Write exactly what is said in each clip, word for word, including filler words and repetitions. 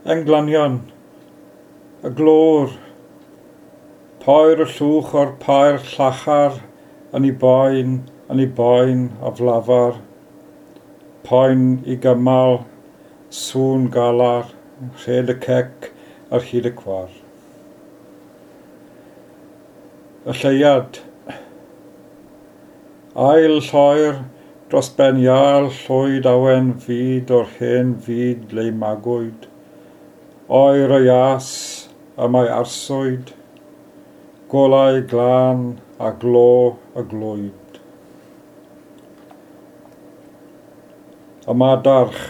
Englynion, y glôr, poer y llwch o'r pair llachar, yn ei boen, yn ei boen aflafar, poen i gymal, sŵn galar, rhed y cec ar hyd y cwar. Y lleuad, ail lloer dros ben iâl llwyd awen fyd o'r hen fyd le magwyd, oer y ias y mae arswyd, golau glân a glo y glwyd. Y madarch,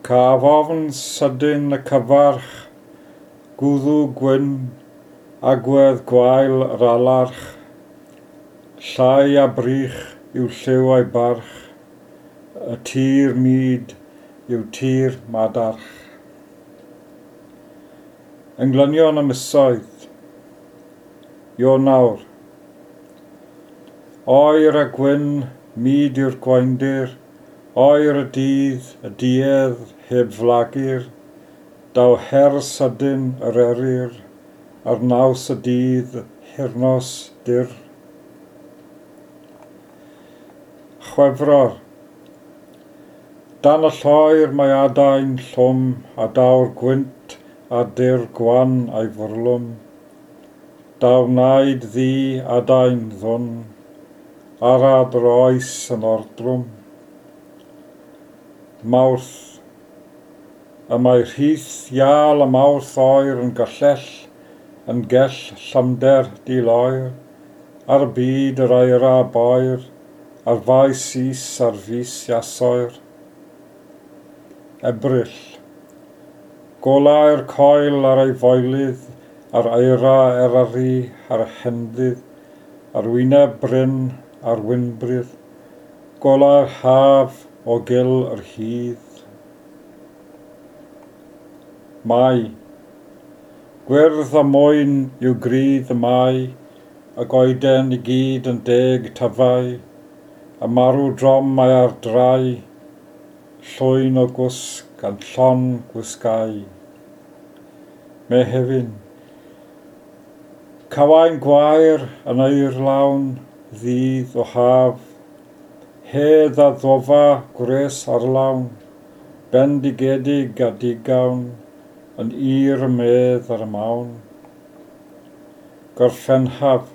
caf ofn sydyn y cyfarch, gwddw gwyn, agwedd gwael yr alarch, llai a brych yw lliw a'i barch, y tir mud yw tir madarch. Englynion y misoedd, Ionawr, oer a gwyn, mud yw'r gwaendir, oer y dydd, y duedd heb flagur, daw her sydyn yr eryr, ar naws y dydd, hirnos dir. Chwefror, dan y lloer mae adain llwm a daw'r gwynt a dyr gwan a'i fwrlwm. Daw naid ddu adain ddwn, arad yr oes yn ordrwm. Mawrth, y mae rhith iâl y mawrth oer yn gyllell, yn gell llymder diloer, ar y byd yr aira boer, ar faes is ar fus iasoer. Ebrill, golau'r coel ar ei foelydd, ar eira Eryri ar y henddydd, ar wyneb bryn ar wynbrydd, golau'r haf o gil yr hydd. Mai, gwyrdd a mwyn yw grydd y mai, y goeden i gyd yn deg tyfau, a marw drom mae ar drai, llwyn o gwsg gan llon gwisgau. Mehefin, cawain gwair yn eirlawn ddydd o haf, hedd a ddofa gwres arlawn, bendigedig a digawn, yn ir y medd ar y mawn. Gorffenhaf,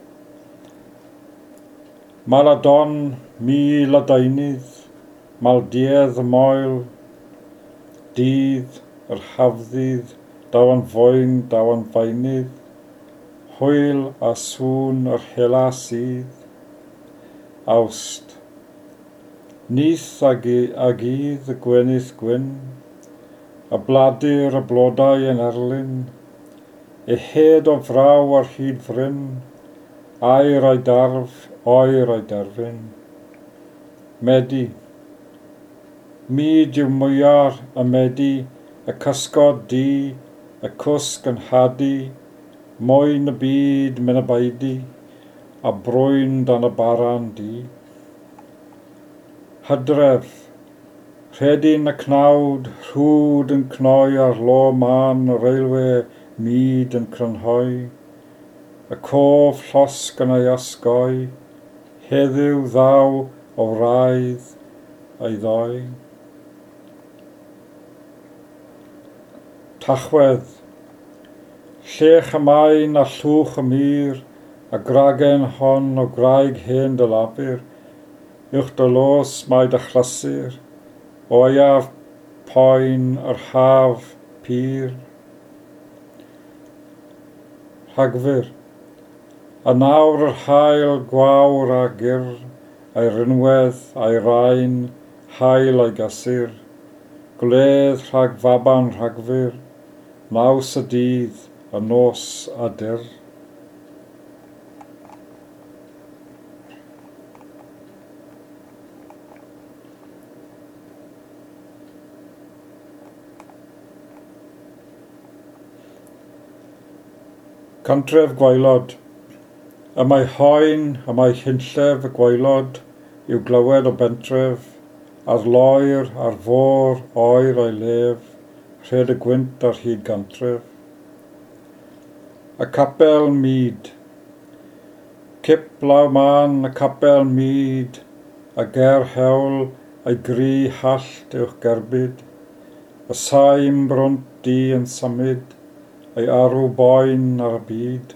Maladon, mil a deunydd, maldiedd y moel, dydd, yr hafddydd, daw yn foen, daw yn faenydd, hwyl a sŵn yr hela sydd. Awst, nyth ag, ag ydd y gwenith gwyn, y bladur y blodau yn erlyn, e hed o fraw ar hyd fryn, aer a'i darf, oer a'i derfyn. Medi, mud yw mwyar y medi, y cysgod du, y cwsg yn hadu, mwyn y byd myn y baedi, a brwyn dan y baran du. Hydref, rhedyn y cnawd, rhwd yn cnoi ar lo man y railwe, mud yn crynhoi, y cof llosg yn ei osgoi, heddiw ddaw o wraidd a'i ddoi. Tachwedd, llech y maen a llwch y mur, a gragen hon o graig hen dy lafur, uwch dy los mae dy chlysur, o aeaf poen yr haf pur. Rhagfyr, a nawr yr haul gwawr a gyr, a'i rinwedd a'i rain, haul a'i gysur, gwledd rhag faban Rhagfyr, naws y dydd, y nos a dyr. Cantref Gwaelod. Y mae hoen, y mae hunllef y gwaelod i'w glywed o bentref, ar loer, ar fôr, oer o'i lef, rhed y gwynt ar hyd gantref. Y capel mud. Cip law man y capel mud, a ger hewl a'i gri hallt uwch gerbyd, y saim brwnt di yn symud, a'i arw boen ar y byd.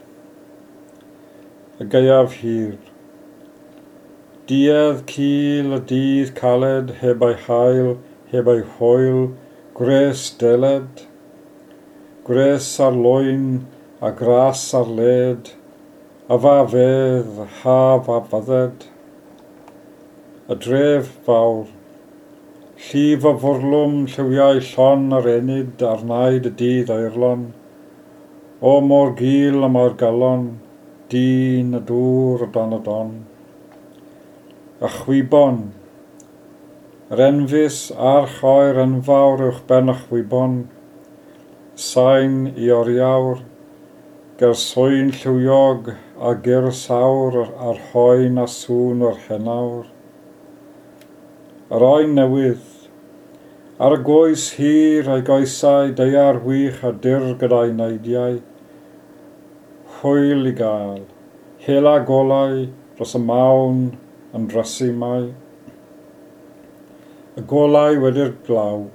Y gaeaf hir. Duedd cul y dydd caled, heb ei hael, heb ei hwyl, gwres deled. Gwres ar lwyn a gras ar led, a fa fedd, haf a fydded. Y dref fawr. Llif o fwrlwm, lliwiau llon yr enid ar naid y dydd aerlon. O mor gul y mae'r galon, dyn y dŵr o dan y don. Y chwibon. Yr enfys a'r choer enfawr uwch ben y chwibon. Sain i oriawr, ger swyn lliwiog a gyr sawr a'r hoen a sŵn o'r henawr. Yr oen newydd. Ar y goes hir a'i goesau, daear wych a dyr gyda'i neidiau. Hwyl i gael, hela golau dros y mawn yn drysu mai. Y golau wedi'r glaw.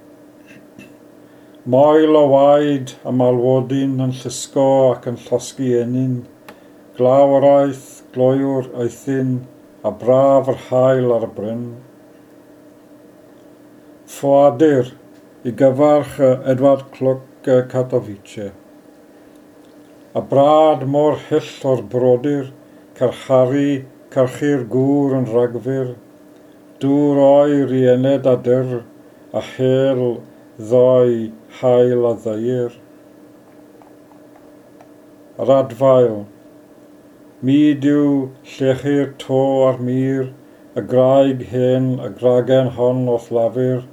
Moel o waed a malwodyn yn llusgo ac yn llosgi enyn. Glaw yr aeth, gloyw'r aethyn, a braf yr haul ar y bryn. Ffoadur i gyfarch Edward Clwc Katowice. A brad mor hyll o'r brodyr, carcharu, carchu'r gŵr yn rhagfyr, dŵr oer i ened a dyr, a hel ddoi hael a ddeir. Yr adfail. Mud yw llechu'r to a'r mur, y graig hen, y gragen hon o'th lafur,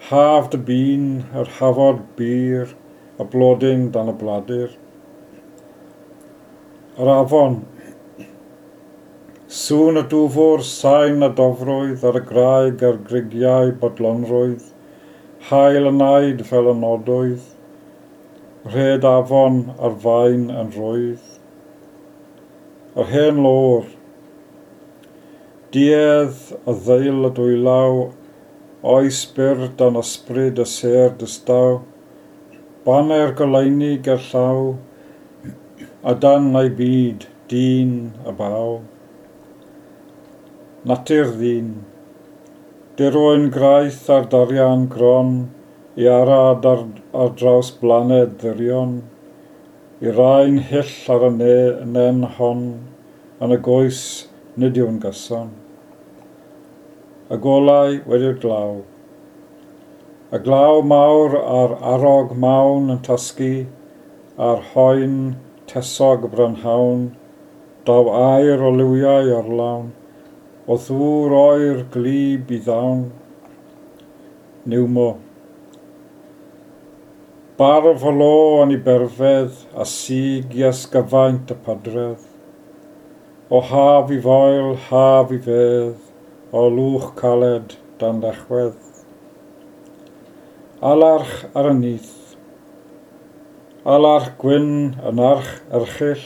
haf dy bîn, yr hafod bur, y blodyn dan y bladur. Yr afon. Sŵn y dwfwr, sain a dofrwydd ar y graig a'r grugiau bodlonrwydd, hael y naid fel y nodwydd, rhed afon ar faen yn rwydd. Yr hen lôr. Duedd y ddeil y dwylaw, oes byr dan ysbryd y sêr distaw, baner goleuni gerllaw, a dan ei byd, dyn y baw. Natur ddyn. Dirwyn graith ar darian gron, i arad ar, ar draws blaned ddirion, i raen hyll ar y ne, nen hon, yn y goes nid yw'n gyson. Y golau wedi'r glaw. Y glaw mawr a'r arog mawn yn tasgu, a'r hoen tesog brynhawn, daw aer o liwiau orlawn, o ddŵr oer glib i ddawn. Niwmo. Barf o lo yn ei berfedd, a sig i ysgyfaint y padredd. O haf i foel, haf i fedd, o lwch caled dan lechwedd. Alarch ar y nyth. Alarch gwyn yn arch erchyll,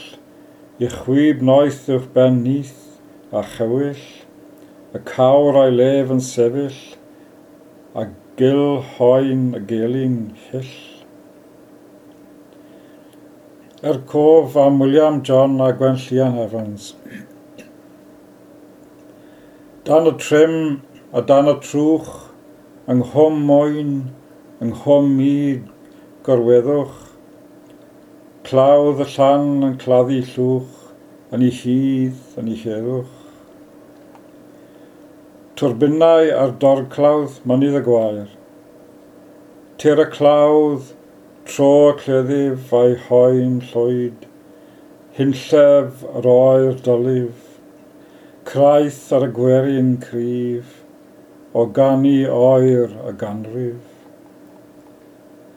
i chwib noeth uwch ben nyth a chewyll, y cawr a'i lef yn sefyll, a gil hoen y gelyn hyll. Er cof am William John a Gwenllian Evans. Dan y trim a dan y trwch, yng nghwm mwyn, yng nghwm mud gorweddwch, clawdd y llan yn claddu llwch, yn ei hydd, yn ei heddwch. Turbinau ar dorclawdd mynydd y gwair. Tir y clawdd, tro y cleddyf a'i hoen llwyd, hunllef yr oer dylif, craith ar y gwerin cryf, o ganu oer y ganrif.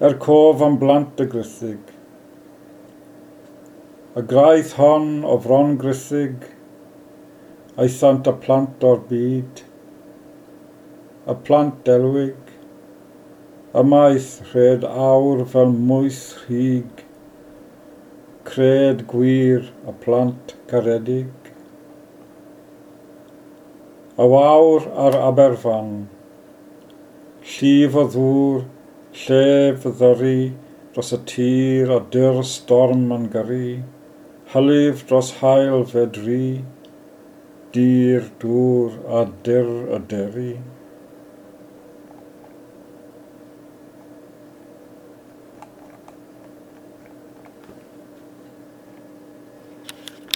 Er cof am blant y grithig. Y graith hon o fron grithig, aethant y plant o'r byd, y plant delwig, Ymaith rhed awr fel mwys rhig, cred gwir y plant caredig. Y wawr ar Aberfan, llif o ddŵr, llef ddyru dros y tir a dyr storm yn gyrru, hylif dros haul fe dri, dir, dŵr a dyr y deri.